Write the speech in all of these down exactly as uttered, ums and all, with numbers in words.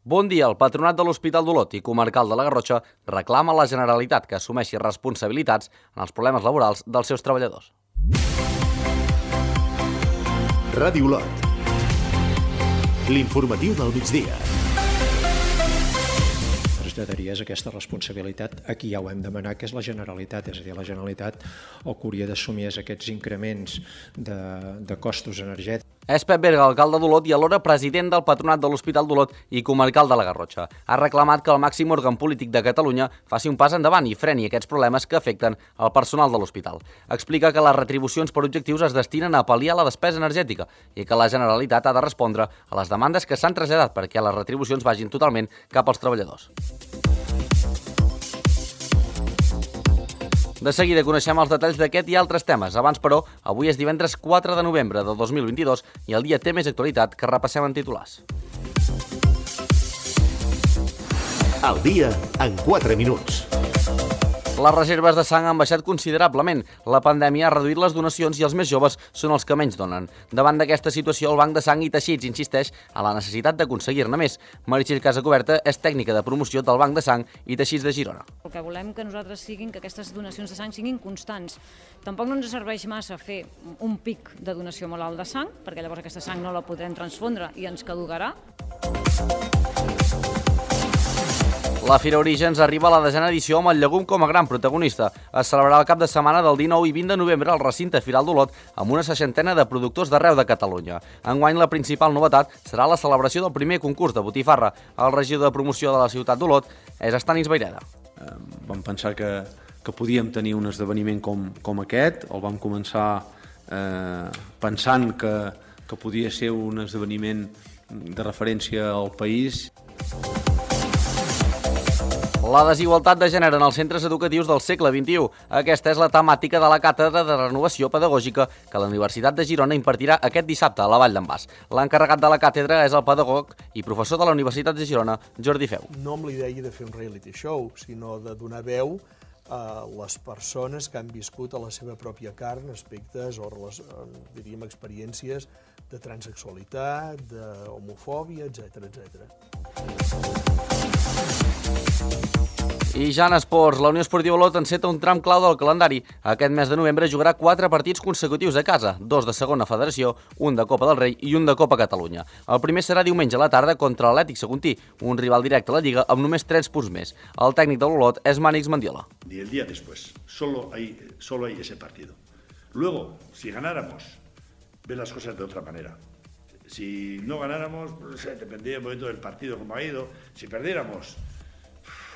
Bon dia, el Patronat de l'Hospital d'Olot i Comarcal de la Garrotxa reclama a la Generalitat que assumeixi responsabilitats en els problemes laborals dels seus treballadors. Ràdio Olot. L'informatiu del migdia. Traslladaries aquesta responsabilitat a qui ja ho hem demanat, que és la Generalitat. És a dir, la Generalitat el que hauria d'assumir és aquests increments de, de costos energètics. És Pep Berga, alcalde d'Olot i alhora president del Patronat de l'Hospital d'Olot i Comarcal de la Garrotxa. Ha reclamat que el màxim òrgan polític de Catalunya faci un pas endavant i freni aquests problemes que afecten el personal de l'hospital. Explica que les retribucions per objectius es destinen a pal·liar la despesa energètica i que la Generalitat ha de respondre a les demandes que s'han traslladat perquè les retribucions vagin totalment cap als treballadors. De seguida coneixem els detalls d'aquest i altres temes. Abans, però, avui és divendres quatre de novembre de dos mil vint-i-dos i el dia té més actualitat que repassem en titulars. El dia en quatre minuts. Les reserves de sang han baixat considerablement. La pandèmia ha reduït les donacions i els més joves són els que menys donen. Davant d'aquesta situació, el Banc de Sang i Teixits insisteix a la necessitat d'aconseguir-ne més. Meritxell Casacoberta és tècnica de promoció del Banc de Sang i Teixits de Girona. El que volem que nosaltres siguin que aquestes donacions de sang siguin constants. Tampoc no ens serveix massa fer un pic de donació molt alt de sang, perquè llavors aquesta sang no la podrem transfondre i ens caducarà. La Fira Orígens arriba a la desena edició amb el llegum com a gran protagonista. Es celebrarà el cap de setmana del dinou i vint de novembre al recinte Firal d'Olot amb una seixantena de productors d'arreu de Catalunya. Enguany la principal novetat serà la celebració del primer concurs de botifarra. El regidor de promoció de la ciutat d'Olot és Estanis Vaireda. Eh, vam pensar que, que podíem tenir un esdeveniment com, com aquest. El vam començar eh, pensant que, que podia ser un esdeveniment de referència al país. La desigualtat de gènere en els centres educatius del segle vint-i-u. Aquesta és la temàtica de la Càtedra de Renovació Pedagògica que la Universitat de Girona impartirà aquest dissabte a la Vall d'en Bas. L'encarregat de la càtedra és el pedagog i professor de la Universitat de Girona, Jordi Feu. No amb l'idea de fer un reality show, sinó de donar veu a les persones que han viscut a la seva pròpia carn aspectes o, diríem, experiències de transexualitat, d'homofòbia, etcètera, etcètera. I ja en esports, la Unió Esportiva Olot enceta un tram clau del calendari. Aquest mes de novembre jugarà quatre partits consecutius a casa, dos de segona federació, un de Copa del Rei i un de Copa Catalunya. El primer serà diumenge a la tarda contra l'Atlètic Saguntí, un rival directe a la Lliga amb només tres punts més. El tècnic de l'Olot és Mànix Mendiola. Y el día después, solo hay, solo hay ese partido. Luego, si ganáramos, ver las cosas de otra manera. Si no ganáramos, pues, dependía un momento del partido como ha ido. Si perdiéramos,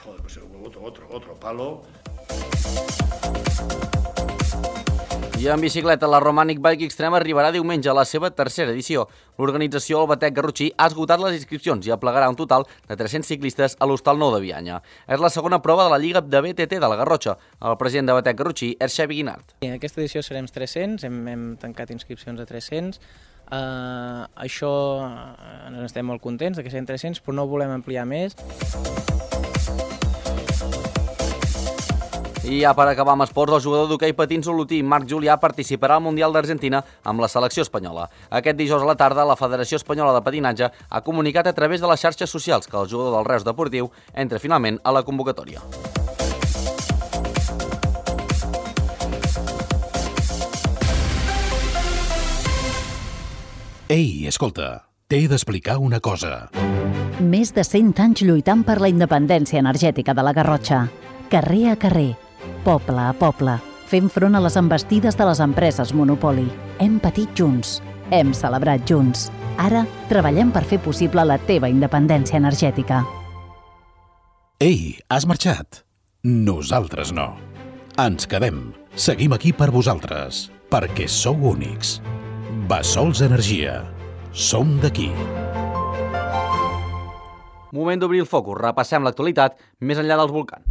joder, pues otro, otro, otro palo. I en bicicleta, la Romanic Bike Extreme arribarà diumenge a la seva tercera edició. L'organització El Batec Garrotxí ha esgotat les inscripcions i aplegarà un total de tres-cents ciclistes a l'Hostal Nou de Bianya. És la segona prova de la Lliga de B T T de la Garrotxa. El president de Batec Garrotxí és Xavi Guinart. En aquesta edició serem tres-cents, hem, hem tancat inscripcions a tres-cents. Uh, això uh, estem molt contents que siguin tres-cents, però no volem ampliar més. I ja per acabar amb esports, el jugador d'hoquei patins olotí Marc Julià participarà al Mundial d'Argentina amb la selecció espanyola. Aquest dijous a la tarda, la Federació Espanyola de Patinatge ha comunicat a través de les xarxes socials que el jugador del Reus Deportiu entra finalment a la convocatòria. Ei, escolta, t'he d'explicar una cosa. Més de cent anys lluitant per la independència energètica de la Garrotxa. Carrer a carrer, poble a poble, fent front a les envestides de les empreses monopoli. Hem patit junts, hem celebrat junts. Ara treballem per fer possible la teva independència energètica. Ei, has marxat? Nosaltres no. Ens quedem. Seguim aquí per vosaltres, perquè sou únics. Bassols Energia. Som d'aquí. Moment d'obrir el focus. Repassem l'actualitat més enllà dels volcans.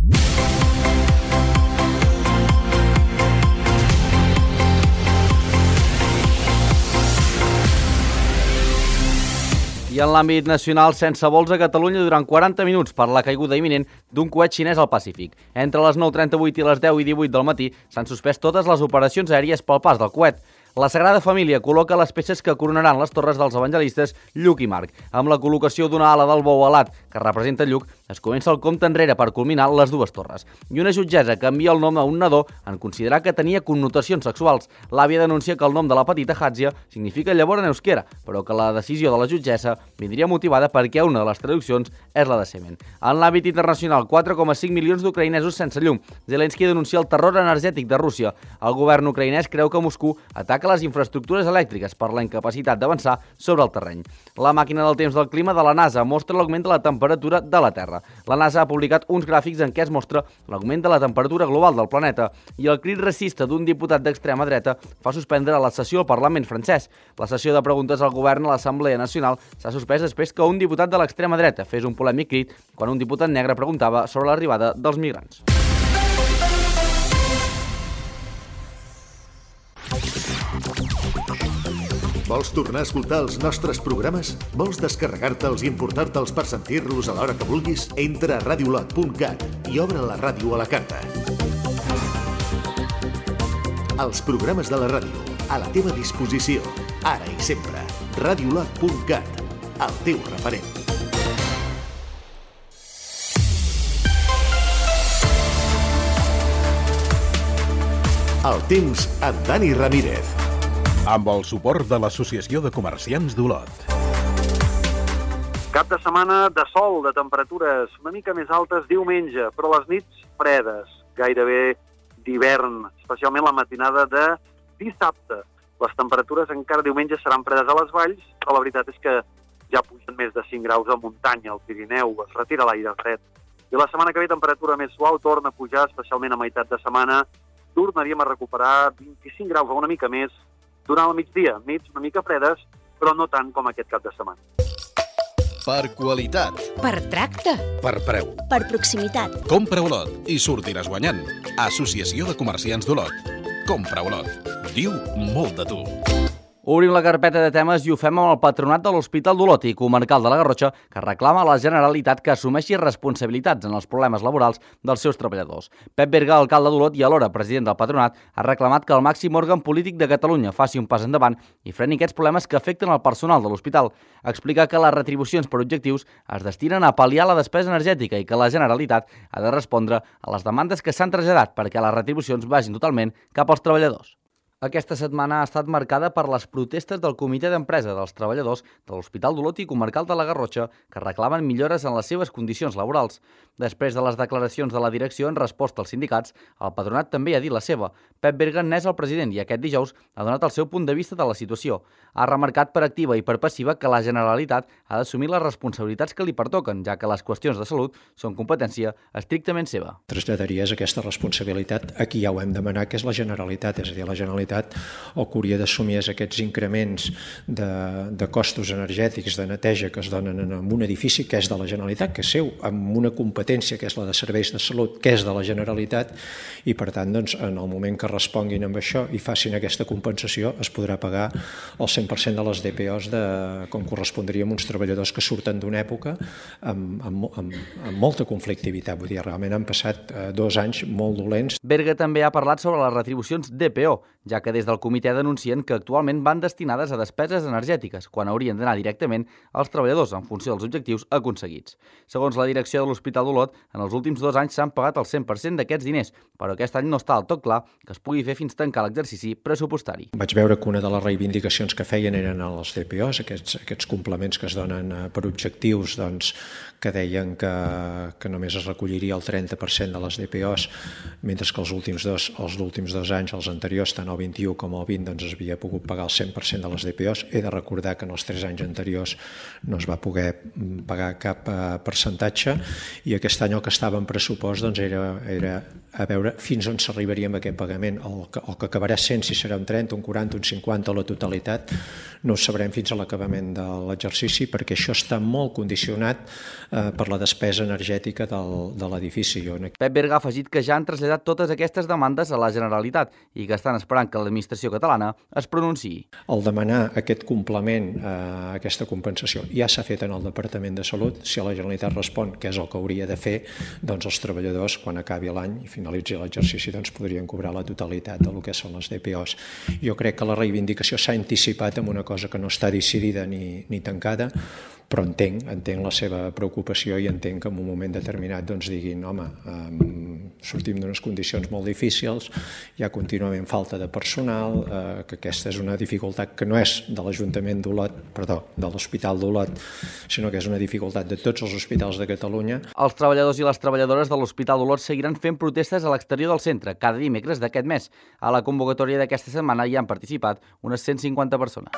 I en l'àmbit nacional, sense vols a Catalunya durant quaranta minuts per la caiguda imminent d'un coet xinès al Pacífic. Entre les nou trenta-vuit i les deu i divuit del matí s'han suspès totes les operacions aèries pel pas del coet. La Sagrada Família col·loca les peces que coronaran les torres dels evangelistes Lluc i Marc, amb la col·locació d'una ala del bou alat que representa Lluc, es comença el compte enrere per culminar les dues torres. I una jutgessa canvia el nom a un nadó en considerar que tenia connotacions sexuals. L'àvia denuncia que el nom de la petita Hadzia significa llavor en euskera, però que la decisió de la jutgessa vindria motivada perquè una de les traduccions és la de semen. En l'àmbit internacional, quatre coma cinc milions d'ucraïnesos sense llum. Zelensky denuncia el terror energètic de Rússia. El govern ucraïnès creu que Moscou ataca les infraestructures elèctriques per la incapacitat d'avançar sobre el terreny. La màquina del temps del clima de la NASA mostra l'augment de la temperatura de la Terra. La NASA ha publicat uns gràfics en què es mostra l'augment de la temperatura global del planeta i el crit racista d'un diputat d'extrema dreta fa suspendre la sessió al Parlament francès. La sessió de preguntes al govern a l'Assemblea Nacional s'ha suspès després que un diputat de l'extrema dreta fes un polèmic crit quan un diputat negre preguntava sobre l'arribada dels migrants. Vols tornar a escoltar els nostres programes? Vols descarregar-te'ls i importar-te'ls per sentir-los a l'hora que vulguis? Entra a radiolot punt cat i obre la ràdio a la carta. Els programes de la ràdio, a la teva disposició, ara i sempre. radiolot punt cat, el teu referent. El temps amb Dani Ramírez. Amb el suport de l'Associació de Comerciants d'Olot. Cap de setmana de sol, de temperatures una mica més altes diumenge, però les nits fredes, gairebé d'hivern, especialment la matinada de dissabte. Les temperatures encara diumenge seran fredes a les valls, però la veritat és que ja pugen més de cinc graus a muntanya, al Pirineu, es retira l'aire fred. I la setmana que ve temperatura més suau torna a pujar, especialment a meitat de setmana, tornaríem a recuperar vint-i-cinc graus o una mica més durant el migdia, nits una mica fredes, però no tant com aquest cap de setmana. Per qualitat. Per tracte. Per preu. Per proximitat. Compra Olot i sortiràs guanyant. Associació de Comerciants d'Olot. Compra Olot. Diu molt de tu. Obrim la carpeta de temes i ho fem amb el patronat de l'Hospital d'Olot i Comarcal de la Garrotxa, que reclama a la Generalitat que assumeixi responsabilitats en els problemes laborals dels seus treballadors. Pep Berga, alcalde d'Olot i alhora president del patronat, ha reclamat que el màxim òrgan polític de Catalunya faci un pas endavant i freni aquests problemes que afecten el personal de l'hospital. Explica que les retribucions per objectius es destinen a pal·liar la despesa energètica i que la Generalitat ha de respondre a les demandes que s'han traslladat perquè les retribucions vagin totalment cap als treballadors. Aquesta setmana ha estat marcada per les protestes del Comitè d'Empresa dels treballadors de l'Hospital d'Olot i Comarcal de la Garrotxa, que reclamen millores en les seves condicions laborals. Després de les declaracions de la direcció en resposta als sindicats, el patronat també ha dit la seva. Pep Berga n'és el president i aquest dijous ha donat el seu punt de vista de la situació. Ha remarcat per activa i per passiva que la Generalitat ha d'assumir les responsabilitats que li pertoquen, ja que les qüestions de salut són competència estrictament seva. Traslladaries aquesta responsabilitat a qui ja ho hem demanat, que és la Generalitat, és a dir, la Generalitat el que hauria d'assumir és aquests increments de, de costos energètics de neteja que es donen en un edifici que és de la Generalitat, que és seu, amb una competència que és la de serveis de salut, que és de la Generalitat, i per tant, doncs, en el moment que responguin amb això i facin aquesta compensació, es podrà pagar el cent per cent de les D P Os de, com correspondria a uns treballadors que surten d'una època amb, amb, amb, amb molta conflictivitat. Vull dir, realment han passat eh, dos anys molt dolents. Berga també ha parlat sobre les retribucions D P O, ja que des del comitè denuncien que actualment van destinades a despeses energètiques, quan haurien d'anar directament als treballadors en funció dels objectius aconseguits. Segons la direcció de l'Hospital d'Olot, en els últims dos anys s'han pagat el cent per cent d'aquests diners, però aquest any no està del tot clar que es pugui fer fins tancar l'exercici pressupostari. Vaig veure que una de les reivindicacions que feien eren els D P Os, aquests, aquests complements que es donen per objectius, doncs, que deien que, que només es recolliria el trenta per cent de les D P Os, mentre que els últims dos, els últims dos anys, els anteriors, tant el vint-i-u com el vint, doncs es havia pogut pagar el cent per cent de les D P Os. He de recordar que en els tres anys anteriors no es va poder pagar cap eh, percentatge, i aquest any el que estava en pressupost doncs, era, era a veure fins on s'arribaria amb aquest pagament. El que, el que acabarà sent, si serà un trenta, un quaranta, un cinquanta o la totalitat, no ho sabrem fins a l'acabament de l'exercici, perquè això està molt condicionat eh, per la despesa energètica del, de l'edifici. Pep Berga ha afegit que ja han traslladat totes aquestes demandes a la Generalitat i que estan esperant que que l'administració catalana es pronunciï. El demanar aquest complement, eh, aquesta compensació, ja s'ha fet en el Departament de Salut. Si la Generalitat respon, que és el que hauria de fer, doncs els treballadors, quan acabi l'any i finalitzi l'exercici, doncs podrien cobrar la totalitat del que són les D P Os. Jo crec que la reivindicació s'ha anticipat amb una cosa que no està decidida ni, ni tancada, però entenc, entenc la seva preocupació i entenc que en un moment determinat doncs diguin, home, eh, sortim d'unes condicions molt difícils, hi ha contínuament falta de personal, eh, que aquesta és una dificultat que no és de l'Ajuntament d'Olot, perdó, de l'Hospital d'Olot, sinó que és una dificultat de tots els hospitals de Catalunya. Els treballadors i les treballadores de l'Hospital d'Olot seguiran fent protestes a l'exterior del centre cada dimecres d'aquest mes. A la convocatòria d'aquesta setmana hi han participat unes cent cinquanta persones.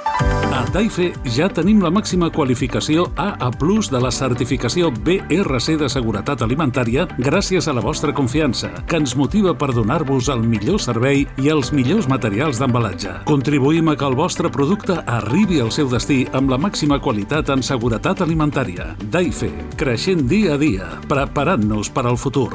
A Daife ja tenim la màxima qualificació A A plus de la certificació B R C de seguretat alimentària gràcies a la vostra confiança, que ens motiva per donar-vos el millor servei i els millors materials d'embalatge. Contribuïm a que el vostre producte arribi al seu destí amb la màxima qualitat en seguretat alimentària. Daife, creixent dia a dia, preparant-nos per al futur.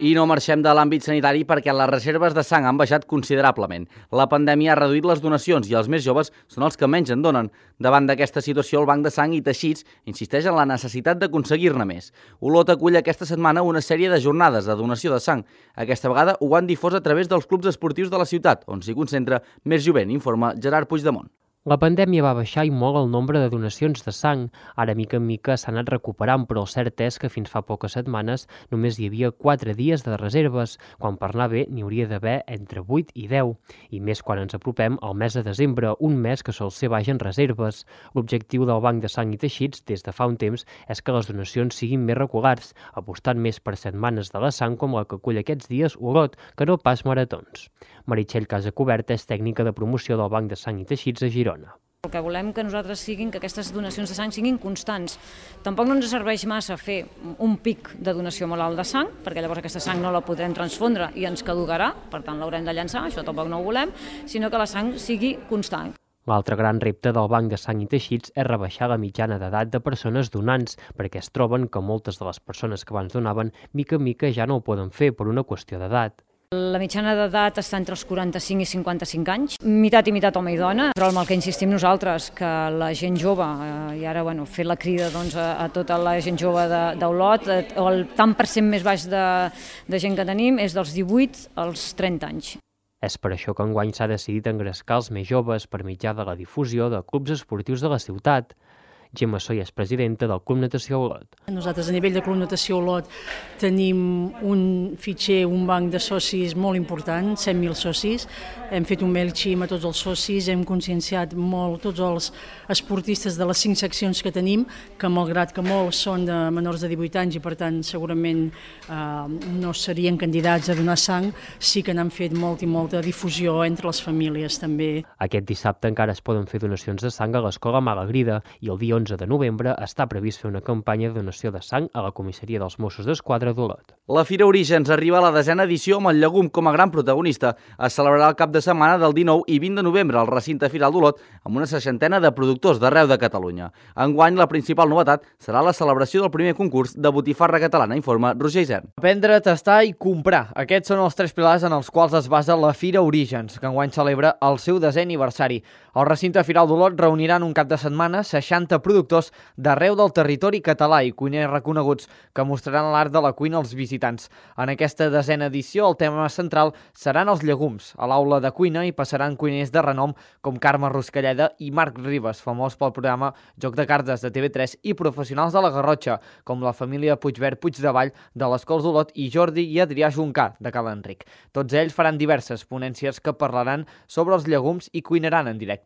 I no marxem de l'àmbit sanitari perquè les reserves de sang han baixat considerablement. La pandèmia ha reduït les donacions i els més joves són els que menys en donen. Davant d'aquesta situació, el Banc de Sang i Teixits insisteix en la necessitat d'aconseguir-ne més. Olot acull aquesta setmana una sèrie de jornades de donació de sang. Aquesta vegada ho han difós a través dels clubs esportius de la ciutat, on s'hi concentra més jovent, informa Gerard Puigdemont. La pandèmia va baixar i molt el nombre de donacions de sang. Ara, mica en mica, s'ha anat recuperant, però el cert és que fins fa poques setmanes només hi havia quatre dies de reserves, quan per anar bé n'hi hauria d'haver entre vuit i deu, i més quan ens apropem al mes de desembre, un mes que sol ser baix en reserves. L'objectiu del Banc de Sang i Teixits, des de fa un temps, és que les donacions siguin més regulars, apostant més per setmanes de la sang com la que acull aquests dies Olot, que no pas maratons. Meritxell Casacoberta és tècnica de promoció del Banc de Sang i Teixits a Girona. El que volem que nosaltres siguin que aquestes donacions de sang siguin constants. Tampoc no ens serveix massa fer un pic de donació molt alt de sang, perquè llavors aquesta sang no la podrem transfondre i ens caducarà, per tant l'haurem de llançar, això tampoc no ho volem, sinó que la sang sigui constant. L'altre gran repte del Banc de Sang i Teixits és rebaixar la mitjana d'edat de persones donants, perquè es troben que moltes de les persones que abans donaven mica en mica ja no ho poden fer per una qüestió d'edat. La mitjana d'edat està entre els quaranta-cinc i cinquanta-cinc anys, meitat i meitat home i dona, però amb el que insistim nosaltres, que la gent jove, eh, i ara bueno, fer la crida doncs, a, a tota la gent jove d'Olot, eh, el tant per cent més baix de, de gent que tenim és dels divuit als trenta anys. És per això que enguany s'ha decidit engrescar els més joves per mitjà de la difusió de clubs esportius de la ciutat. Gemma Soy és presidenta del Club Natació Olot. Nosaltres a nivell de Club Natació Olot tenim un fitxer, un banc de socis molt important, cent mil socis. Hem fet un MailChimp a tots els socis, hem conscienciat molt tots els esportistes de les cinc seccions que tenim, que malgrat que molts són de menors de divuit anys i per tant segurament eh, no serien candidats a donar sang, sí que n'han fet molt i molta difusió entre les famílies també. Aquest dissabte encara es poden fer donacions de sang a l'Escola Malagrida i el dia onze de novembre està previst fer una campanya de donació de sang a la comissaria dels Mossos d'Esquadra d'Olot. La Fira Orígens arriba a la desena edició amb el llegum com a gran protagonista. Es celebrarà el cap de setmana del dinou i vint de novembre al recinte Firal d'Olot amb una seixantena de productors d'arreu de Catalunya. Enguany, la principal novetat serà la celebració del primer concurs de botifarra catalana, informa Roger Isern. Vendre, tastar i comprar. Aquests són els tres pilars en els quals es basa la Fira Orígens, que enguany celebra el seu desè aniversari. El recinte Firal d'Olot reunirà en un cap de setmana seixanta productors d'arreu del territori català i cuiners reconeguts que mostraran l'art de la cuina als visitants. En aquesta desena edició, el tema central seran els llegums. A l'aula de cuina hi passaran cuiners de renom com Carme Ruscalleda i Marc Ribas, famós pel programa Joc de Cartes de T V tres, i professionals de la Garrotxa, com la família Puigverd Puigdevall de les Cols d'Olot i Jordi i Adrià Juncà de Cal Enric. Tots ells faran diverses ponències que parlaran sobre els llegums i cuinaran en directe.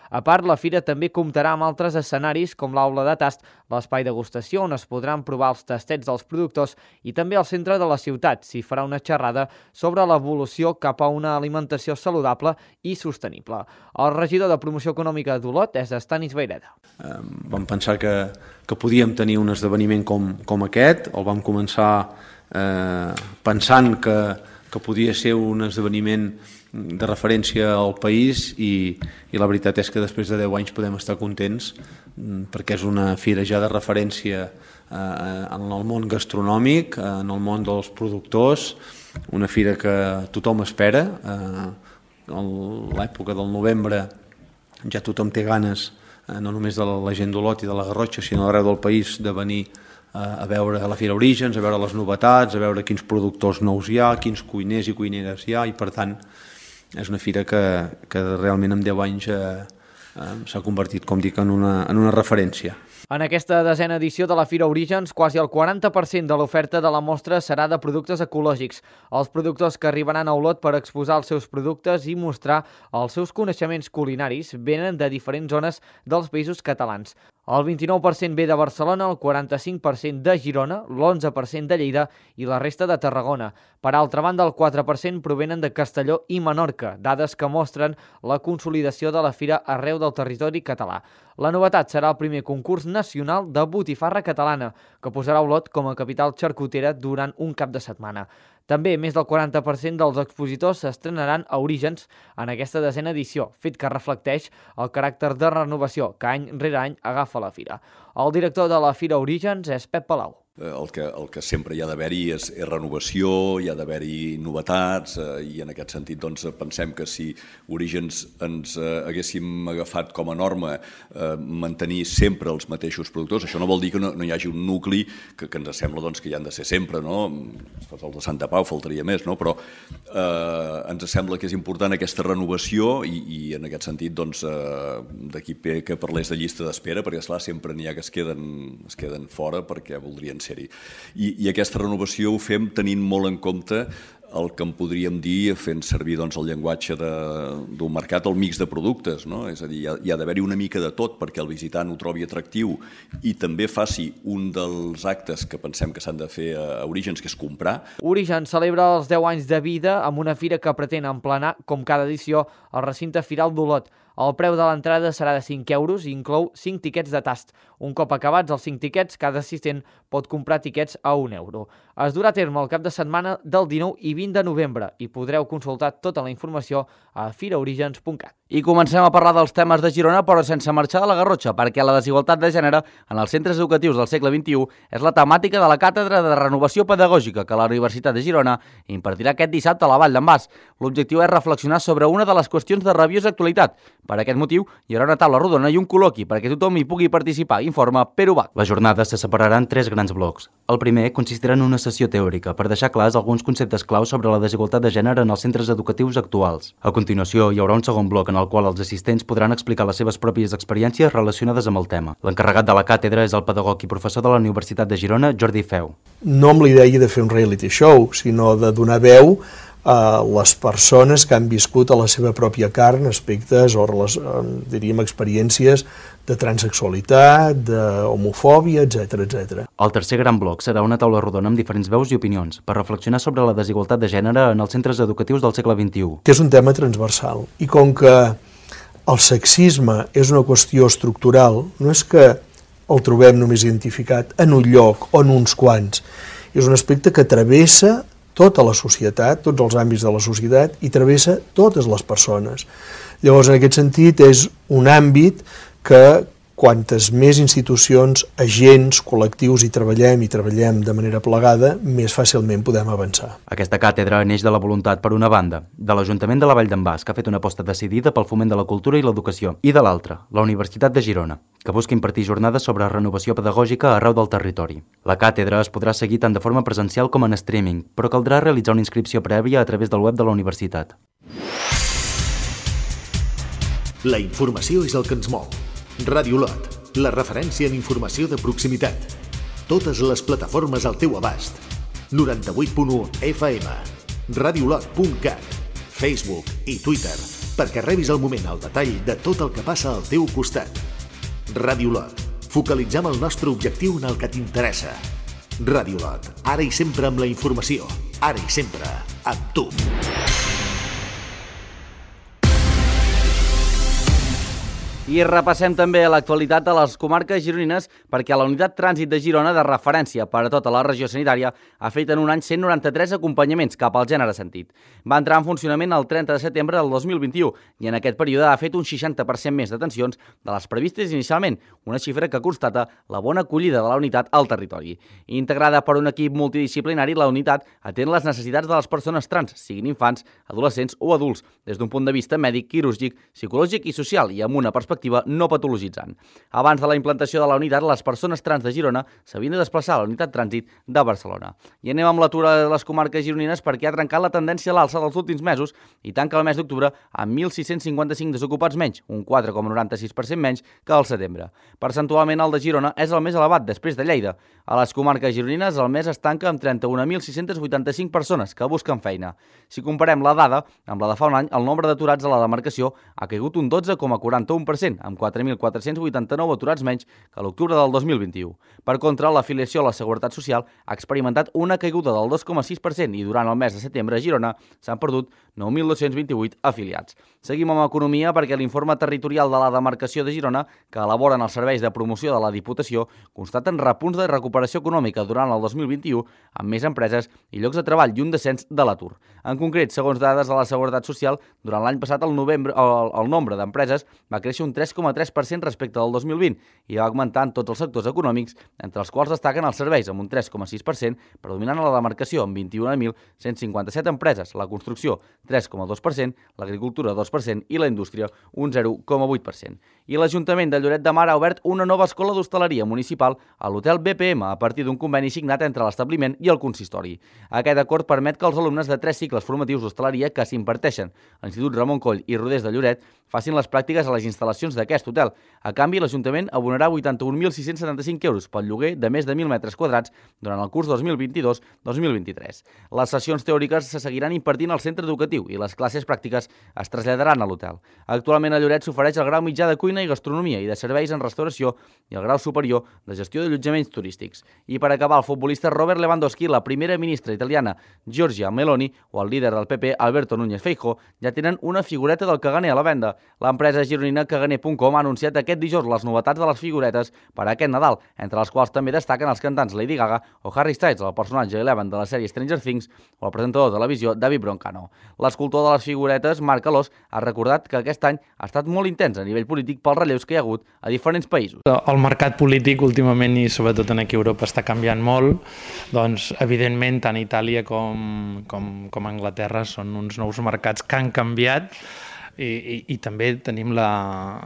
A part, la fira també comptarà amb altres escenaris com l'aula de tast, l'espai degustació on es podran provar els tastets dels productors i també al centre de la ciutat s'hi farà una xerrada sobre l'evolució cap a una alimentació saludable i sostenible. El regidor de Promoció Econòmica d'Olot és Estanis Vaireda. Eh, vam pensar que, que podíem tenir un esdeveniment com, com aquest, el vam començar eh, pensant que, que podia ser un esdeveniment de referència al país i, i la veritat és que després de deu anys podem estar contents perquè és una fira ja de referència eh, en el món gastronòmic, en el món dels productors, una fira que tothom espera, eh, l'època del novembre ja tothom té ganes, no només de la gent d'Olot i de la Garrotxa, sinó d'arreu del país, de venir a veure la Fira Orígens, a veure les novetats, a veure quins productors nous hi ha, quins cuiners i cuineres hi ha, i per tant és una fira que, que realment en deu anys eh, eh, s'ha convertit, com dic, en una, en una referència. En aquesta desena edició de la Fira Orígens, quasi el quaranta per cent de l'oferta de la mostra serà de productes ecològics. Els productors que arribaran a Olot per exposar els seus productes i mostrar els seus coneixements culinaris venen de diferents zones dels països catalans. El vint-i-nou per cent ve de Barcelona, el quaranta-cinc per cent de Girona, l'onze per cent de Lleida i la resta de Tarragona. Per altra banda, el quatre per cent provenen de Castelló i Menorca, dades que mostren la consolidació de la fira arreu del territori català. La novetat serà el primer concurs nacional de botifarra catalana, que posarà Olot com a capital xarcutera durant un cap de setmana. També més del quaranta per cent dels expositors s'estrenaran a Orígens en aquesta desena edició, fet que reflecteix el caràcter de renovació que any rere any agafa la fira. El director de la Fira Orígens és Pep Palau. El que, el que sempre hi ha d'haver-hi és, és renovació, hi ha d'haver-hi novetats, eh, i en aquest sentit doncs, pensem que si Orígens ens eh, haguéssim agafat com a norma eh, mantenir sempre els mateixos productors, això no vol dir que no, no hi hagi un nucli que, que ens sembla doncs, que hi han de ser sempre, no? El de Santa Pau faltaria més, no? Però eh, ens sembla que és important aquesta renovació i, i en aquest sentit doncs, eh, d'aquí que parlés de llista d'espera, perquè esclar, sempre n'hi ha que es queden, es queden fora perquè voldrien ser I, I aquesta renovació ho fem tenint molt en compte el que en podríem dir, fent servir doncs, el llenguatge d'un mercat, el mix de productes, no? És a dir, hi ha, hi ha d'haver-hi una mica de tot perquè el visitant ho trobi atractiu i també faci un dels actes que pensem que s'han de fer a Orígens, que és comprar. Orígens celebra els deu anys de vida amb una fira que pretén emplenar, com cada edició, el recinte firal d'Olot. El preu de l'entrada serà de cinc euros i inclou cinc tiquets de tast. Un cop acabats els cinc tiquets, cada assistent pot comprar tiquets a un euro. Es durà a terme el cap de setmana del dinou i vint de novembre i podreu consultar tota la informació a firaorígens punt cat. I comencem a parlar dels temes de Girona, però sense marxar de la Garrotxa, perquè la desigualtat de gènere en els centres educatius del segle vint-i-u és la temàtica de la Càtedra de Renovació Pedagògica que la Universitat de Girona impartirà aquest dissabte a la Vall d'en Bas. L'objectiu és reflexionar sobre una de les qüestions de rabiosa actualitat. Per aquest motiu, hi haurà una taula rodona i un col·loqui perquè tothom hi pugui participar, informa Pere Ubach. La jornada se separarà en tres grans blocs. El primer consistirà en una sessió teòrica per deixar clars alguns conceptes claus sobre la desigualtat de gènere en els centres educatius actuals. A continuació, hi haurà un segon bloc en el qual els assistents podran explicar les seves pròpies experiències relacionades amb el tema. L'encarregat de la càtedra és el pedagog i professor de la Universitat de Girona, Jordi Feu. No amb la idea de fer un reality show, sinó de donar veu a les persones que han viscut a la seva pròpia carn aspectes o, diríem, experiències de transexualitat, d'homofòbia, etcètera, etcètera. El tercer gran bloc serà una taula rodona amb diferents veus i opinions per reflexionar sobre la desigualtat de gènere en els centres educatius del segle vint-i-u. Que és un tema transversal i com que el sexisme és una qüestió estructural, no és que el trobem només identificat en un lloc o en uns quants, és un aspecte que travessa tota la societat, tots els àmbits de la societat i travessa totes les persones. Llavors, en aquest sentit, és un àmbit que quantes més institucions, agents, col·lectius hi treballem i treballem de manera plegada, més fàcilment podem avançar. Aquesta càtedra neix de la voluntat, per una banda, de l'Ajuntament de la Vall d'en Bas, que ha fet una aposta decidida pel foment de la cultura i l'educació, i de l'altra, la Universitat de Girona, que busca impartir jornades sobre renovació pedagògica arreu del territori. La càtedra es podrà seguir tant de forma presencial com en streaming, però caldrà realitzar una inscripció prèvia a través del web de la universitat. La informació és el que ens mou. Ràdio Olot, la referència en informació de proximitat. Totes les plataformes al teu abast. noranta-vuit punt u F M, radiolot punt cat, Facebook i Twitter, perquè rebis al moment el detall de tot el que passa al teu costat. Ràdio Olot, focalitzem el nostre objectiu en el que t'interessa. Ràdio Olot, ara i sempre amb la informació, ara i sempre amb tu. I repassem també l'actualitat de les comarques gironines perquè la unitat trànsit de Girona, de referència per a tota la regió sanitària, ha fet en un any cent noranta-tres acompanyaments cap al gènere sentit. Va entrar en funcionament el trenta de setembre del dos mil vint-i-u i en aquest període ha fet un seixanta per cent més detencions de les previstes inicialment, una xifra que constata la bona acollida de la unitat al territori. Integrada per un equip multidisciplinari, la unitat atén les necessitats de les persones trans, siguin infants, adolescents o adults, des d'un punt de vista mèdic, quirúrgic, psicològic i social i amb una perspectiva no patologitzant. Abans de la implantació de la unitat, les persones trans de Girona s'havien de desplaçar a la unitat trànsit de Barcelona. I anem amb l'atura de les comarques gironines perquè ha trencat la tendència a l'alça dels últims mesos i tanca el mes d'octubre amb mil sis-cents cinquanta-cinc desocupats menys, un quatre coma noranta-sis per cent menys que al setembre. Percentualment, el de Girona és el més elevat després de Lleida. A les comarques gironines, el mes es tanca amb trenta-un mil sis-cents vuitanta-cinc persones que busquen feina. Si comparem la dada amb la de fa un any, el nombre d'aturats a la demarcació ha caigut un dotze coma quaranta-u per cent, amb quatre mil quatre-cents vuitanta-nou aturats menys que l'octubre del dos mil vint-i-u. Per contra, l'afiliació a la Seguretat Social ha experimentat una caiguda del dos coma sis per cent i durant el mes de setembre a Girona s'han perdut nou mil dos-cents vint-i-vuit afiliats. Seguim amb economia perquè l'informe territorial de la demarcació de Girona, que elaboren els serveis de promoció de la Diputació, constaten repunts de recuperació econòmica durant el dos mil vint-i-u amb més empreses i llocs de treball i un descens de l'atur. En concret, segons dades de la Seguretat Social, durant l'any passat el, novembre, el, el nombre d'empreses va créixer un tres coma tres per cent respecte al dos mil vint i va augmentar en tots els sectors econòmics, entre els quals destaquen els serveis amb un tres coma sis per cent, predominant a la demarcació amb vint-i-un mil cent cinquanta-set empreses, la construcció tres coma dos per cent, l'agricultura dos per cent i la indústria un zero coma vuit per cent. I l'Ajuntament de Lloret de Mar ha obert una nova escola d'hostaleria municipal a l'hotel B P M a partir d'un conveni signat entre l'establiment i el consistori. Aquest acord permet que els alumnes de tres cicles formatius d'hostaleria que s'imparteixen a l'Institut Ramon Coll i Rodés de Lloret facin les pràctiques a les instal·lacions d'aquest hotel. A canvi, l'Ajuntament abonarà vuitanta-un mil sis-cents setanta-cinc euros pel lloguer de més de mil metres quadrats durant el curs dos mil vint-i-dos dos mil vint-i-tres. Les sessions teòriques se seguiran impartint al centre educatiu i les classes pràctiques es traslladaran a l'hotel. Actualment a Lloret s'ofereix el grau mitjà de cuina i gastronomia i de serveis en restauració i el grau superior de gestió d'allotjaments turístics. I per acabar, el futbolista Robert Lewandowski, la primera ministra italiana Giorgia Meloni o el líder del P P Alberto Núñez Feijóo ja tenen una figureta del caganer a la venda. L'empresa gironina caganer punt com ha anunciat aquest dijous les novetats de les figuretes per a aquest Nadal, entre les quals també destaquen els cantants Lady Gaga o Harry Styles, el personatge Eleven de la sèrie Stranger Things, o el presentador de televisió David Broncano. L'escultor de les figuretes, Marc Alós, ha recordat que aquest any ha estat molt intens a nivell polític pels relleus que hi ha hagut a diferents països. El mercat polític últimament i sobretot aquí a Europa està canviant molt, doncs evidentment tant Itàlia com, com, com Anglaterra són uns nous mercats que han canviat. I, i, i també tenim la,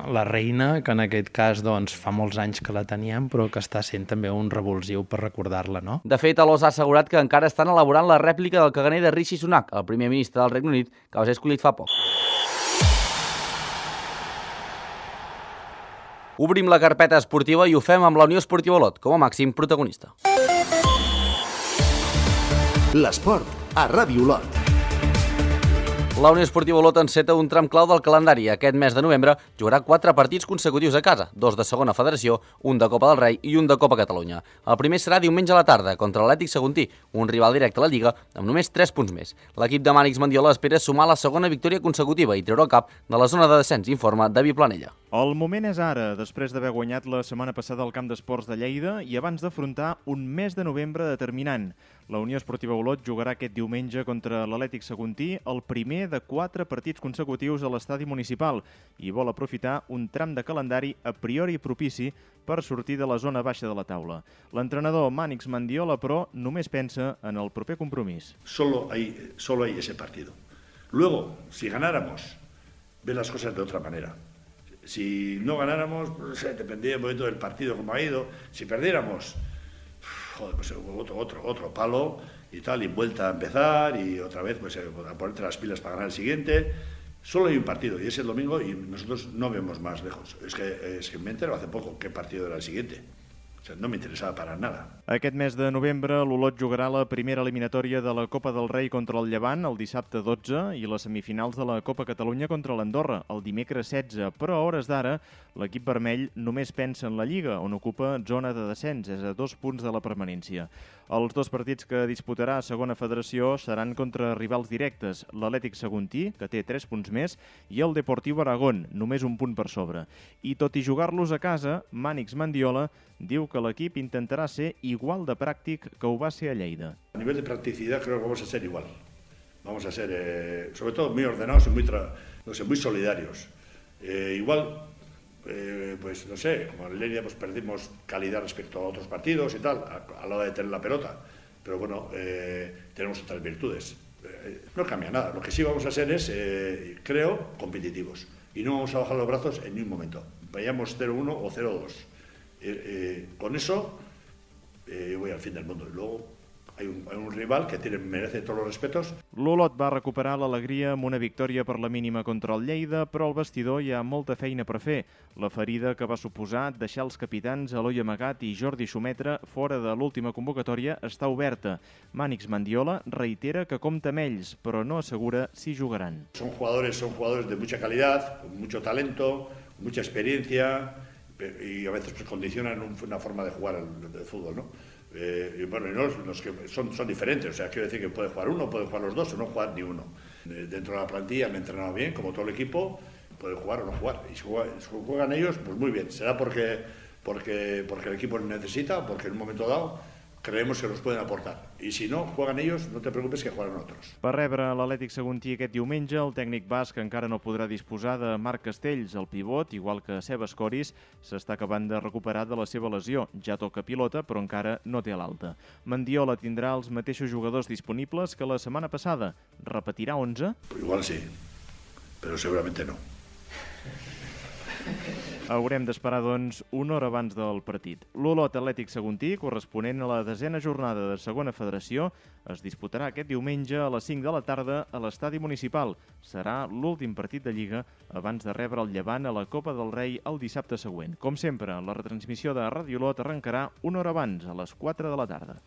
la reina, que en aquest cas doncs, fa molts anys que la teníem, però que està sent també un revulsiu per recordar-la, no? De fet, Alós ha assegurat que encara estan elaborant la rèplica del caganer de Rishi Sunak, el primer ministre del Regne Unit, que va ser escollit fa poc. Obrim la carpeta esportiva i ho fem amb la Unió Esportiva Olot, com a màxim protagonista. L'esport a Ràdio Olot. La Unió Esportiva Olot enceta un tram clau del calendari. Aquest mes de novembre jugarà quatre partits consecutius a casa, dos de segona federació, un de Copa del Rei i un de Copa Catalunya. El primer serà diumenge a la tarda contra l'Atlètic Saguntí, un rival directe a la Lliga amb només tres punts més. L'equip de Mànix Mandiola espera sumar la segona victòria consecutiva i treure el cap de la zona de descens, informa David Planella. El moment és ara, després d'haver guanyat la setmana passada al Camp d'Esports de Lleida i abans d'afrontar un mes de novembre determinant. La Unió Esportiva Olot jugarà aquest diumenge contra l'Atlètic Saguntí, el primer de quatre partits consecutius a l'estadi municipal, i vol aprofitar un tram de calendari a priori propici per sortir de la zona baixa de la taula. L'entrenador Mànix Mandiola, però, només pensa en el proper compromís. Solo hay, solo hay ese partido. Luego, si ganáramos, ven las cosas de otra manera. Si no ganáramos, pues, dependía un momento del partido como ha ido. Si perdiéramos, joder, pues otro, otro, otro palo y tal, y vuelta a empezar y otra vez pues a ponerte las pilas para ganar el siguiente. Solo hay un partido y es el domingo y nosotros no vemos más lejos. Es que, es que me entero hace poco qué partido era el siguiente. O sea, no me interesaba para nada. Aquest mes de novembre, l'Olot jugarà la primera eliminatòria de la Copa del Rei contra el Llevant el dissabte dotze i les semifinals de la Copa Catalunya contra l'Andorra el dimecres setze, però a hores d'ara l'equip vermell només pensa en la Lliga, on ocupa zona de descens, és a dos punts de la permanència. Els dos partits que disputarà a segona federació seran contra rivals directes, l'Atlètic Saguntí, que té tres punts més, i el Deportiu Aragón, només un punt per sobre. I tot i jugar-los a casa, Mànix Mendiola diu que l'equip intentarà ser igual de pràctic que ho va ser a Lleida. A nivel de practicidad creo que vamos a ser igual. Vamos a ser, eh, sobre todo, muy ordenados y muy, tra no sé, muy solidarios. Eh, igual, eh, pues no sé, como en Lleida pues perdimos calidad respecto a otros partidos y tal, a, a la hora de tener la pelota. Pero bueno, eh, tenemos otras virtudes. Eh, no cambia nada. Lo que sí vamos a ser es, eh, creo, competitivos. Y no vamos a bajar los brazos en ningún momento. Vayamos cero uno o cero dos. Eh, eh, con eso eh, voy al fin del mundo. Y luego hay un, hay un rival que tiene, merece todos los respetos. L'Olot va recuperar l'alegria amb una victòria per la mínima contra el Lleida, però al vestidor hi ha molta feina per fer. La ferida que va suposar deixar els capitans Eloi Amagat i Jordi Xumetra fora de l'última convocatòria està oberta. Mànix Mendiola reitera que compta amb ells, però no assegura si jugaran. Son jugadores, son jugadores de mucha calidad, con mucho talento, mucha experiencia, y a veces pues, condicionan una forma de jugar al de fútbol, ¿no? Eh, y bueno, y no, los que son, son diferentes, o sea, quiero decir que puede jugar uno, puede jugar los dos o no jugar ni uno. Eh, dentro de la plantilla han entrenado bien, como todo el equipo, puede jugar o no jugar. Y si juegan, si juegan ellos, pues muy bien. Será porque, porque, porque el equipo necesita, porque en un momento dado creemos que nos pueden aportar. I si no, juegan ells, no te preocupes que jugaran otros. Per rebre l'Atlètic Saguntí aquest diumenge, el tècnic basc encara no podrà disposar de Marc Castells, el pivot, igual que Sebas Coris, s'està acabant de recuperar de la seva lesió. Ja toca pilota, però encara no té l'alta. Mendiola tindrà els mateixos jugadors disponibles que la setmana passada. Repetirà onze? Igual sí, però segurament no. Haurem d'esperar, doncs, una hora abans del partit. L'Olot Atlètic Saguntí, corresponent a la desena jornada de segona federació, es disputarà aquest diumenge a les cinc de la tarda a l'estadi municipal. Serà l'últim partit de Lliga abans de rebre el Llevant a la Copa del Rei el dissabte següent. Com sempre, la retransmissió de Ràdio Olot arrencarà una hora abans, a les quatre de la tarda.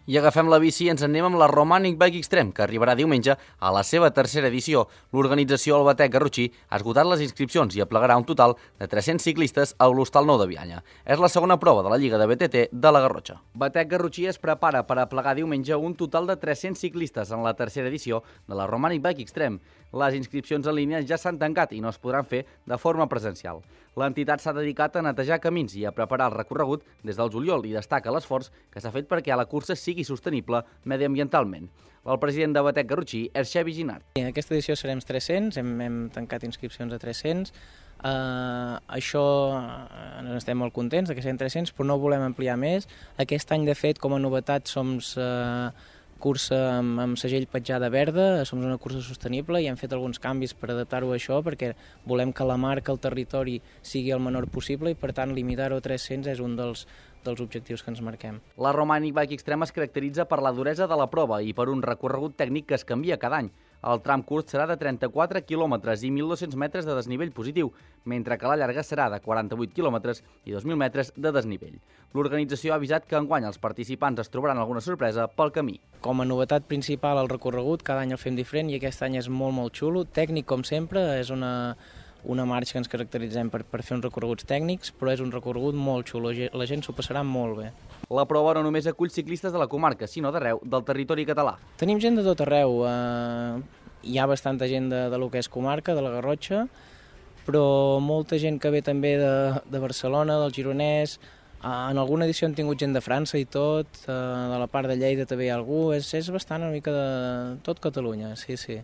I agafem la bici i ens anem amb la Romanic Bike Extreme, que arribarà diumenge a la seva tercera edició. L'organització al Batec Garrotxí ha esgotat les inscripcions i aplegarà un total de tres-cents ciclistes a l'Hostal Nou de Bianya. És la segona prova de la Lliga de B T T de la Garrotxa. Batec Garrotxí es prepara per aplegar diumenge un total de tres-cents ciclistes en la tercera edició de la Romanic Bike Extreme. Les inscripcions en línia ja s'han tancat i no es podran fer de forma presencial. L'entitat s'ha dedicat a netejar camins i a preparar el recorregut des del juliol i destaca l'esforç que s'ha fet perquè la cursa sigui sostenible mediambientalment. El president de Batec Garrotxí és Xavi Ginart. En aquesta edició serem tres-cents, hem, hem tancat inscripcions a tres-cents. Uh, això uh, estem molt contents que siguin tres-cents, però no volem ampliar més. Aquest any, de fet, com a novetat, som uh, cursa amb, amb segell petjada verda, som una cursa sostenible i hem fet alguns canvis per adaptar-ho a això perquè volem que la marca al territori sigui el menor possible i, per tant, limitar-ho a tres-cents és un dels, dels objectius que ens marquem. La Romanic Bike Extreme es caracteritza per la duresa de la prova i per un recorregut tècnic que es canvia cada any. El tram curt serà de trenta-quatre quilòmetres i mil dos-cents metres de desnivell positiu, mentre que la llarga serà de quaranta-vuit quilòmetres i dos mil metres de desnivell. L'organització ha avisat que enguany els participants es trobaran alguna sorpresa pel camí. Com a novetat principal el recorregut, cada any el fem diferent i aquest any és molt, molt xulo. Tècnic, com sempre, és una, una marxa que ens caracteritzem per, per fer uns recorreguts tècnics, però és un recorregut molt xulo, la gent s'ho passarà molt bé. La prova no només acull ciclistes de la comarca, sinó d'arreu del territori català. Tenim gent de tot arreu, eh, hi ha bastanta gent de, de lo que és comarca, de la Garrotxa, però molta gent que ve també de, de Barcelona, del Gironès. En alguna edició han tingut gent de França i tot, de la part de Lleida també hi ha algú, és, és bastant una mica de tot Catalunya, sí, sí.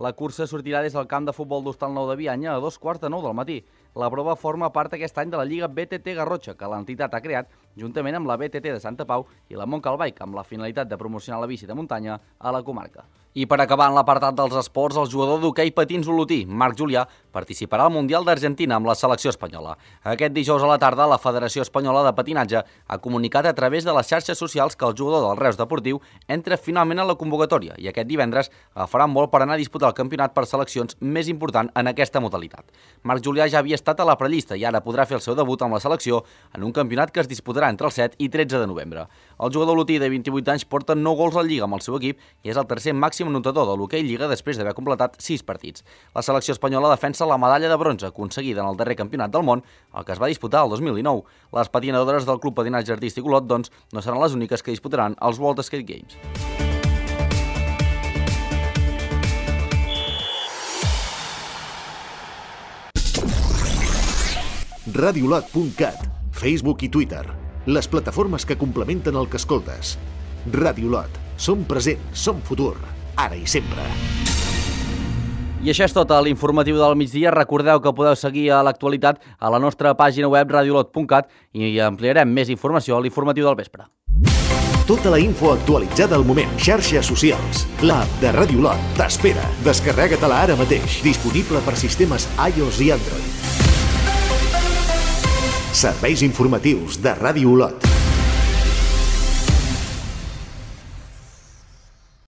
La cursa sortirà des del camp de futbol d'Hostal Nou de Bianya a dos quarts de nou del matí. La prova forma part aquest any de la Lliga B T T Garrotxa, que l'entitat ha creat juntament amb la B T T de Santa Pau i la Montcal Bike, amb la finalitat de promocionar la bici de muntanya a la comarca. I per acabar en l'apartat dels esports, el jugador d'hoquei patins olotí, Marc Julià, participarà al Mundial d'Argentina amb la selecció espanyola. Aquest dijous a la tarda, la Federació Espanyola de Patinatge ha comunicat a través de les xarxes socials que el jugador del Reus Deportiu entra finalment a la convocatòria i aquest divendres agafarà un vol per anar a disputar el campionat per seleccions més important en aquesta modalitat. Marc Julià ja havia estat a la prellista i ara podrà fer el seu debut amb la selecció en un campionat que es disputarà disputarà entre el set i tretze de novembre. El jugador olotí de vint-i-vuit anys porta nou gols al Lliga amb el seu equip i és el tercer màxim anotador de l'hoquei Lliga després d'haver completat sis partits. La selecció espanyola defensa la medalla de bronze aconseguida en el darrer campionat del món, el que es va disputar el dos mil dinou. Les patinadores del Club Patinatge Artístic Olot, doncs, no seran les úniques que disputaran els World Skate Games. radiolot punt cat, Facebook i Twitter, les plataformes que complementen el que escoltes. Radiolot, som present, som futur, ara i sempre. I això és tot a l'informatiu del migdia. Recordeu que podeu seguir a l'actualitat a la nostra pàgina web radiolot punt cat i ampliarem més informació a l'informatiu del vespre. Tota la info actualitzada al moment. Xarxes socials. L'app de Radiolot t'espera. Descarrega-te-la ara mateix. Disponible per sistemes iOS i Android. Serveis informatius de Ràdio Olot.